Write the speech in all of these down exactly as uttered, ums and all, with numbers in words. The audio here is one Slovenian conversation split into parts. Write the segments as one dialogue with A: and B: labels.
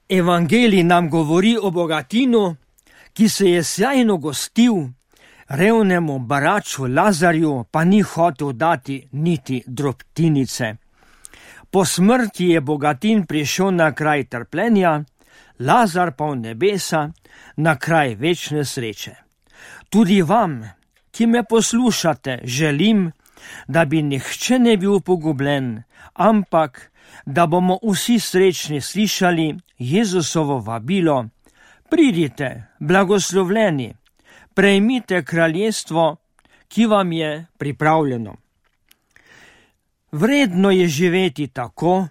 A: Evangelij nam govori o bogatinu, ki se je sjajno gostil, revnemu baraču Lazarju pa ni hotel dati niti drobtinice. Po smrti je bogatin prišel na kraj trpljenja, Lazar pa v nebesa na kraj večne sreče. Tudi vam, ki me poslušate, želim, da bi nihče ne bil pogubljen, ampak da bomo vsi srečni slišali Jezusovo vabilo: pridite, blagoslovljeni, prejmite kraljestvo, ki vam je pripravljeno. Vredno je živeti tako,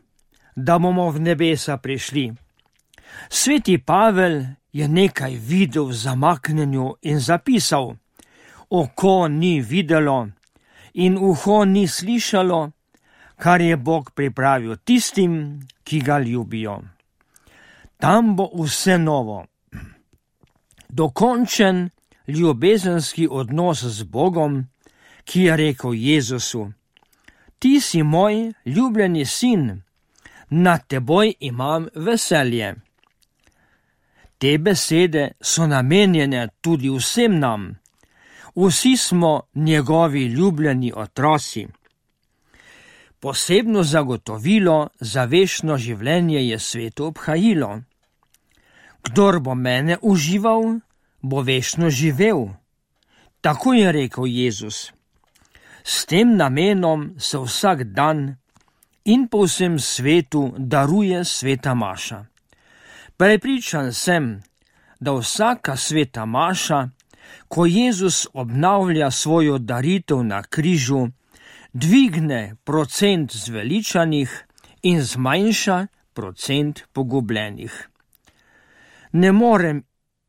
A: da bomo v nebesa prišli. Sveti Pavel je nekaj videl v zamaknjenju in zapisal: oko ni videlo in uho ni slišalo, kar je Bog pripravil tistim, ki ga ljubijo. Tam bo vse novo. Dokončen ljubezenski odnos z Bogom, ki je rekel Jezusu: ti si moj ljubljeni sin, nad teboj imam veselje. Te besede so namenjene tudi vsem nam. Vsi smo njegovi ljubljeni otroci. Posebno zagotovilo za večno življenje je sveto obhajilo. Kdor bo mene užival, bo večno živel. Tako je rekel Jezus. S tem namenom se vsak dan in po vsem svetu daruje sveta maša. Prepričan sem, da vsaka sveta maša, ko Jezus obnavlja svojo daritev na križu, dvigne procent zveličanih in zmanjša procent pogubljenih. Ne morem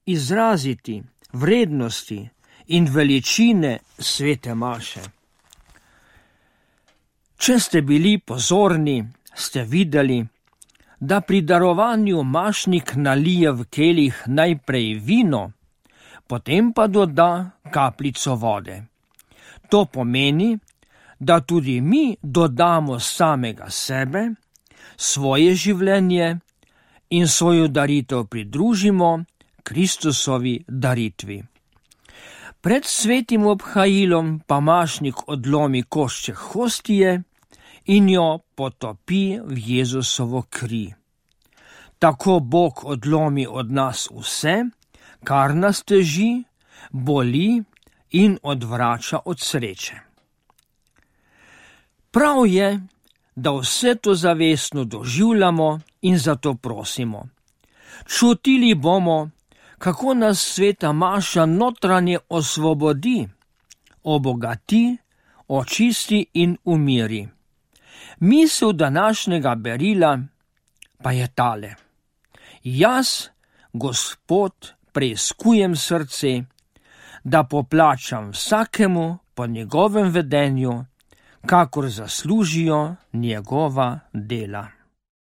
A: izraziti vrednosti in veličine svete maše. Če ste bili pozorni, ste videli, da pri darovanju mašnik nalije v kelih najprej vino, potem pa doda kapljico vode. To pomeni, da tudi mi dodamo samega sebe, svoje življenje in svojo daritev pridružimo Kristusovi daritvi. Pred svetim obhajilom pa mašnik odlomi košček hostije in jo potopi v Jezusovo kri. Tako Bog odlomi od nas vse, kar nas teži, boli in odvrača od sreče. Prav je, da vse to zavestno doživljamo in zato prosimo. Čutili bomo, kako nas sveta maša notranje osvobodi, obogati, očisti in umiri. Misel današnjega berila pa je tale: jaz, Gospod, preiskujem srce, da poplačam vsakemu po njegovem vedenju, kakor zaslužijo njegova dela.